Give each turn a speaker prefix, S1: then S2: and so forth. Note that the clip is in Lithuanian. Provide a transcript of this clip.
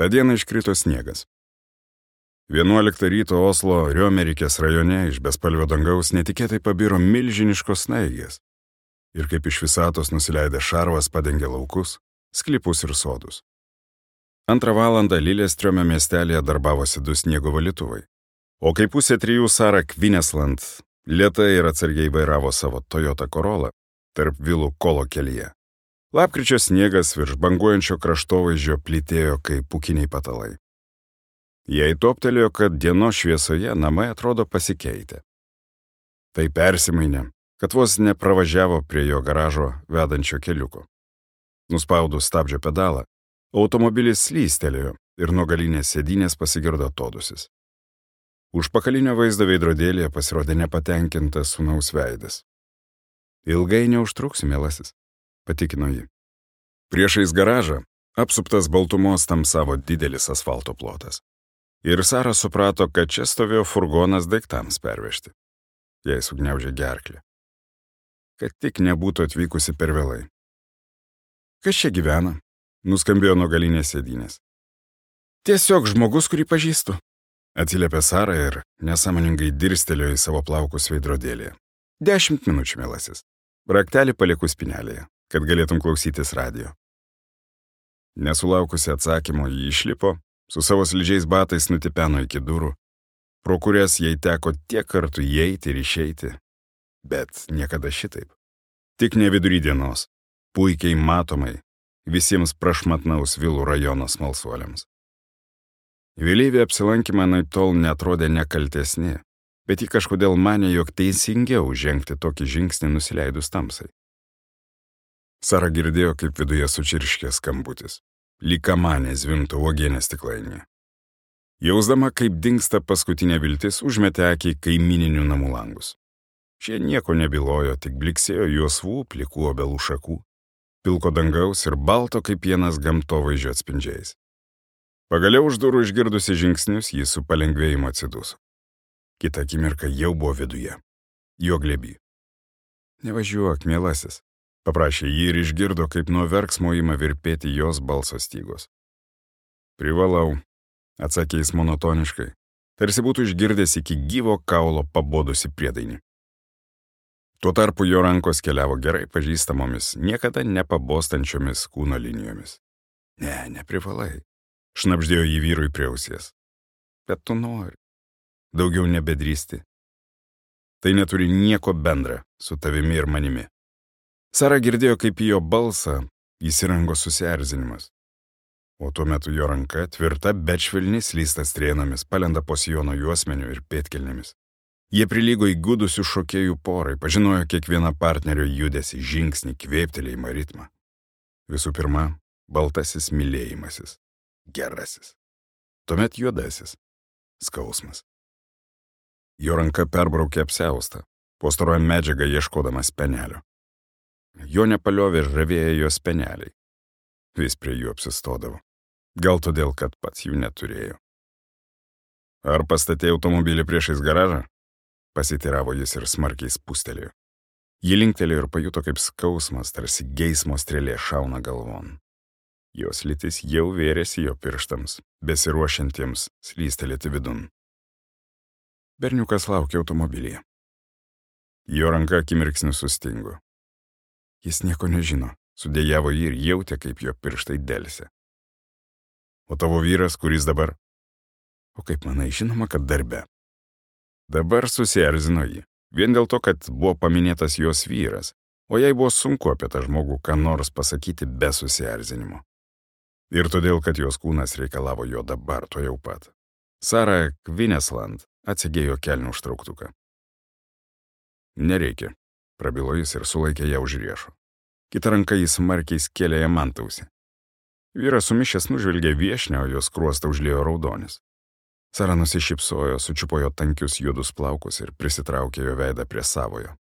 S1: Ta diena iškrito sniegas. 11 ryto Oslo Riomerikės rajone iš bespalvio dangaus netikėtai pabiro milžiniškos snaigės. Ir kaip iš visatos nusileidęs šarvas padengė laukus, sklypus ir sodus. 2 valandą Lillestrøme miestelėje darbavosi 2 sniego valytuvai. O kai 2:30 Sara Kvinesland lėtai ir atsargiai vairavo savo Toyota Corolla tarp vilų Kolo kelyje. Lapkričio sniegas virš banguojančio kraštovaizdžio plytėjo kaip pūkiniai patalai. Jai toptelėjo, kad dienos šviesoje namai atrodo pasikeitę. Tai persimainė, kad vos nepravažiavo prie jo garažo vedančio keliuko. Nuspaudus stabdžio pedalą, automobilis slystelėjo ir nuo galinės sėdynės pasigirdo atodūsis. Užpakalinio vaizdo veidrodėlėje pasirodė nepatenkintas sūnaus veidas. Ilgai neužtruksiu, mielasis, patikino ji. Priešais garažą apsuptas baltumos tamsavo didelis asfalto plotas. Ir Sara suprato, kad čia stovėjo furgonas daiktams pervežti. Jai sugniaužė gerklę. Kad tik nebūtų atvykusi per vėlai. Kas čia gyvena? Nuskambėjo nuo galinės sėdynės. Tiesiog žmogus, kurį pažįstu. Atsiliepė Sara ir nesąmoningai dirstelėjo į savo plaukus veidrodėlėje. 10 minučių, mielasis. Raktelį palieku spynelėje, kad galėtum klausytis radijo. Nesulaukusi atsakymo, ji išlipo, su savo slidžiais batais nutipeno iki durų, pro kurias jai teko tiek kartų įeiti ir išeiti, bet niekada šitaip. Tik ne vidury dienos, puikiai matomai, visiems prašmatnaus vilų rajono smalsuoliams. Vėlyvi apsilankymai naitol netrodė nekaltesni, bet ji kažkodėl manė, jog teisingiau žengti tokį žingsnį nusileidus tamsai. Sara girdėjo, kaip viduje sučirškė skambutis. Lyg kamanė zvimbtų uogienės stiklainėje. Jausdama, kaip dingsta paskutinė viltis, užmetė akį į kaimininių namų langus. Šie nieko nebylojo, tik bliksėjo juosvų, plikų obelų šakų, pilko dangaus ir balto kaip pienas gamtovaizdžio atspindžiais. Pagaliau už durų išgirdusi žingsnius, jis su palengvėjimu atsiduso. Kita akimirka jau buvo viduje. Jo glėby. Nevažiuok, mielasis, paprašė jį ir išgirdo, kaip nuo verksmo ima virpėti jos balso stygos. Privalau, atsakė jis monotoniškai, tarsi būtų išgirdęs iki gyvo kaulo pabodusi priedainį. Tuo tarpu jo rankos keliavo gerai pažįstamomis, niekada nepabostančiomis kūno linijomis. Neprivalai, šnabždėjo jį vyrui prie ausies. Bet tu nori. Daugiau nebedrįsti. Tai neturi nieko bendra su tavimi ir manimi. Sara girdėjo, kaip į jo balsą įsirango susierzinimas. O tuo metu jo ranka, tvirta, bet švelni, slysta strėnomis, palenda po sijono juosmeniu ir pėdkelnėmis. Jie prilygo įgudusių šokėjų porai, pažinojo kiekvieną partnerio judesį, žingsnį, kvėptelėjimą, ritmą. Visų pirma, baltasis mylėjimasis, gerasis. Tuomet juodasis, skausmas. Jo ranka perbraukė apsiaustą, postaruoja medžiagą ieškodama spenelio. Jo nepaliovė ir žavėjo jo speneliai. Vis prie jų apsistodavo. Gal todėl, kad pats jų neturėjo. Ar pastatė automobilį priešais garažą? Pasiteiravo jis ir smarkiai spustelėjo. Ji linktelėjo ir pajuto, kaip skausmas, tarsi geismo strėlė šauna galvon. Jos lytis jau vėrėsi jo pirštams, besiruošiantiems slystelėti vidun. Berniukas laukė automobilyje. Jo ranka akimirksniu sustingo. Jis nieko nežino, sudėjavo jį ir jautė, kaip jo pirštai delsė. O tavo vyras, kuris dabar? O kaip manai, žinoma, kad darbe. Dabar susierzino jį, vien dėl to, kad buvo paminėtas jos vyras, o jai buvo sunku apie tą žmogų ką nors pasakyti be susierzinimo. Ir todėl, kad jos kūnas reikalavo jo dabar, to jau pat. Sara Kvinesland atsigėjo kelnių užtrauktuką. Nereikia, prabilo jis ir sulaikė ją už riešo. Kita ranka jis smarkiai skėlė jam antausį. Vyras sumišęs nužvelgė viešnią, o jos skruostą užliejo raudonis. Sara nusišypsojo, sučiupo jo tankius juodus plaukus ir prisitraukė jo veidą prie savojo.